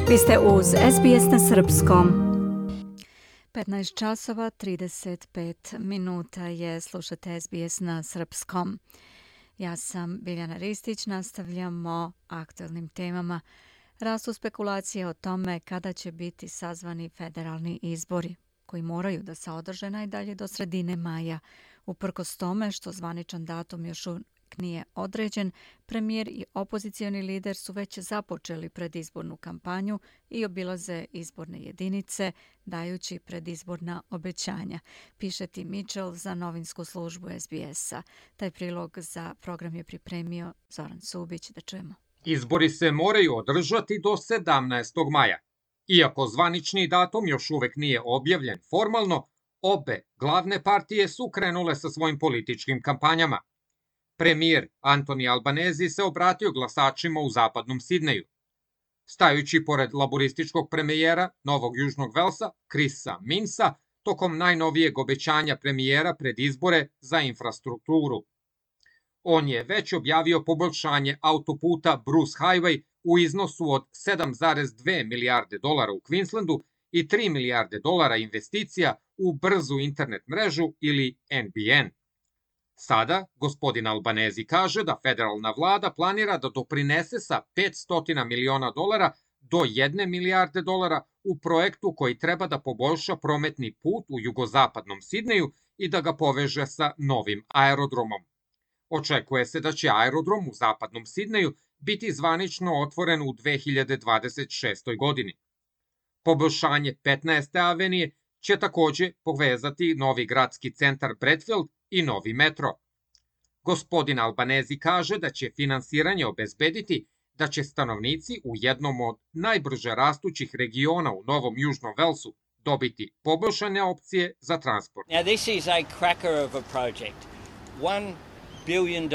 Vi ste uz SBS na Srpskom. 15 časova 35 minuta je, slušate SBS na Srpskom. Ja sam Biljana Ristić, nastavljamo aktualnim temama. Rastu spekulacije o tome kada će biti sazvani federalni izbori, koji moraju da se održe najdalje do sredine maja. Uprkos tome što zvaničan datum još nije određen, premijer i opozicioni lider su već započeli predizbornu kampanju i obilaze izborne jedinice, dajući predizborna obećanja, piše Tim Mitchell za novinsku službu SBS-a. Taj prilog za program je pripremio Zoran Subić. Da čujemo. Izbori se moraju održati do 17. maja. Iako zvanični datum još uvek nije objavljen formalno, obe glavne partije su krenule sa svojim političkim kampanjama. Premijer Anthony Albanese se obratio glasačima u zapadnom Sidneju. Stajući pored laborističkog premijera Novog Južnog Velsa, Chrisa Minsa, tokom najnovijeg obećanja premijera pred izbore za infrastrukturu. On je već objavio poboljšanje autoputa Bruce Highway u iznosu od 7,2 milijarde dolara u Queenslandu i 3 milijarde dolara investicija u brzu internet mrežu ili NBN. Sada, gospodin Albanese kaže da federalna vlada planira da doprinese sa 500 miliona dolara do 1 milijarde dolara u projektu koji treba da poboljša prometni put u jugozapadnom Sidneju i da ga poveže sa novim aerodromom. Očekuje se da će aerodrom u zapadnom Sidneju biti zvanično otvoren u 2026. godini. Poboljšanje 15. avenije će takođe povezati novi gradski centar Bradfield i novi metro. Gospodin Albanese kaže da će finansiranje obezbediti da će stanovnici u jednom od najbrže rastućih regiona u Novom Južnom Velsu dobiti poboljšane opcije za transport. Now this is a cracker of a project. $1 billion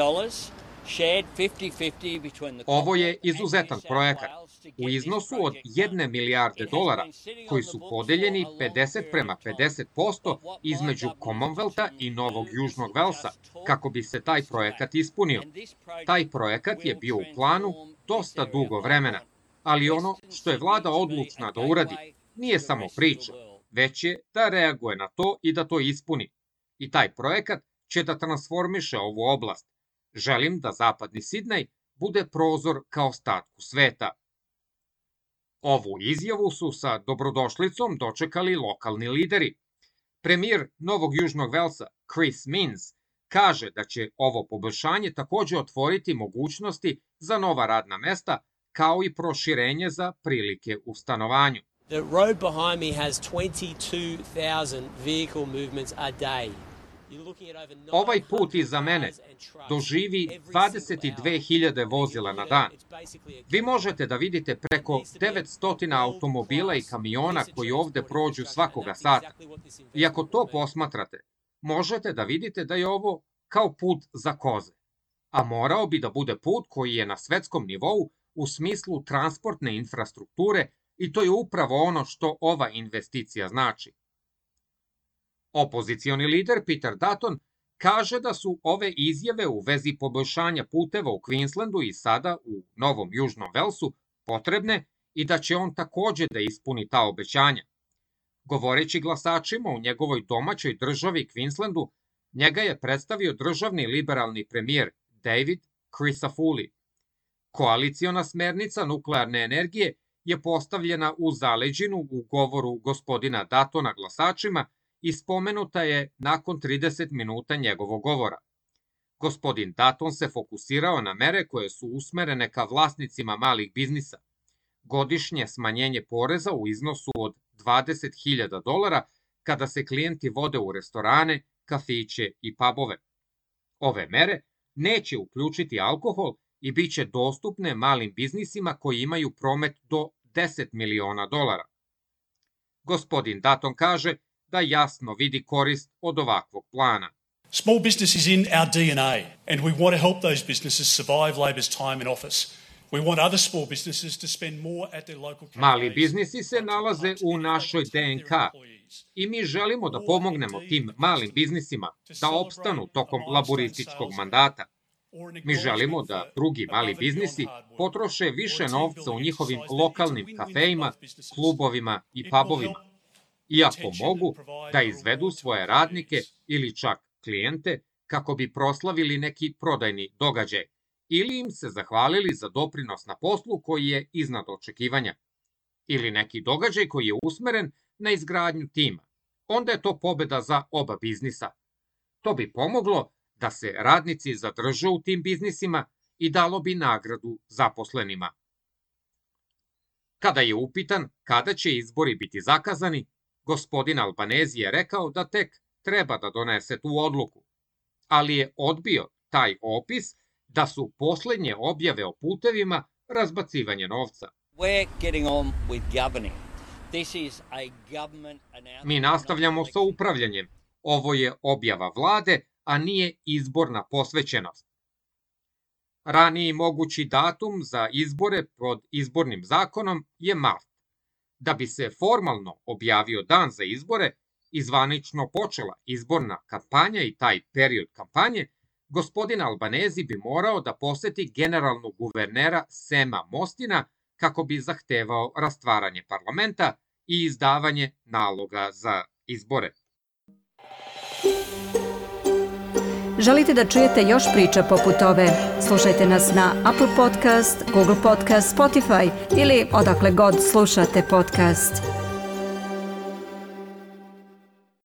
shared 50-50 between the Ovo je izuzetan projekat u iznosu od 1 milijarde dolara koji su podeljeni 50-50% između Commonwealtha i Novog Južnog Velsa kako bi se taj projekat ispunio. Taj projekat je bio u planu dosta dugo vremena, ali ono što je vlada odlučna da uradi nije samo priča, već je da reaguje na to i da to ispuni. I taj projekat će da transformiše ovu oblast. Želim da zapadni Sidnej bude prozor ka ostatku sveta. Ovu izjavu su sa dobrodošlicom dočekali lokalni lideri. Premijer Novog Južnog Velsa, Chris Minns, kaže da će ovo poboljšanje takođe otvoriti mogućnosti za nova radna mesta, kao i proširenje za prilike u stanovanju. The road behind me has 22,000 vehicle movements a day. Ovaj put iza mene doživi 22.000 vozila na dan. Vi možete da vidite preko 900 automobila i kamiona koji ovde prođu svakoga sata. I ako to posmatrate, možete da vidite da je ovo kao put za koze. A morao bi da bude put koji je na svetskom nivou u smislu transportne infrastrukture i to je upravo ono što ova investicija znači. Opozicioni lider Peter Dutton kaže da su ove izjave u vezi poboljšanja puteva u Queenslandu i sada u Novom Južnom Velsu potrebne i da će on takođe da ispuni ta obećanja. Govoreći glasačima u njegovoj domaćoj državi Queenslandu, njega je predstavio državni liberalni premijer David Crisafulli. Koaliciona smernica nuklearne energije je postavljena u zaleđinu u govoru gospodina Duttona glasačima i spomenuta je nakon 30 minuta njegovog govora. Gospodin Dutton se fokusirao na mere koje su usmerene ka vlasnicima malih biznisa. Godišnje smanjenje poreza u iznosu od $20,000 kada se klijenti vode u restorane, kafiće i pubove. Ove mere neće uključiti alkohol i bit će dostupne malim biznisima koji imaju promet do $10 miliona. Gospodin Dutton kaže da jasno vidi korist od ovakvog plana. Small business is in our DNA and we want to help those businesses survive Labor's time in office. We want other small businesses to spend more at their local cafes. Mali biznisi se nalaze u našoj DNK i mi želimo da pomognemo tim malim biznisima da opstanu tokom laborističkog mandata. Mi želimo da drugi mali biznisi potroše više novca u njihovim lokalnim kafejima, klubovima i pubovima, iako mogu da izvedu svoje radnike ili čak klijente kako bi proslavili neki prodajni događaj ili im se zahvalili za doprinos na poslu koji je iznad očekivanja, ili neki događaj koji je usmeren na izgradnju tima. Onda je to pobeda za oba biznisa. To bi pomoglo da se radnici zadrže u tim biznisima i dalo bi nagradu zaposlenima. Kada je upitan kada će izbori biti zakazani, gospodin Albanezi je rekao da tek treba da donese tu odluku, ali je odbio taj opis da su poslednje objave o putevima razbacivanje novca. Mi nastavljamo sa upravljanjem. Ovo je objava vlade, a nije izborna posvećenost. Raniji mogući datum za izbore pod izbornim zakonom je mart. Da bi se formalno objavio dan za izbore i zvanično počela izborna kampanja i taj period kampanje, gospodin Albanezi bi morao da poseti generalnog guvernera Sema Mostina kako bi zahtevao rastvaranje parlamenta i izdavanje naloga za izbore. Želite da čujete još priča poput ove? Slušajte nas na Apple Podcast, Google Podcast, Spotify ili odakle god slušate podcast.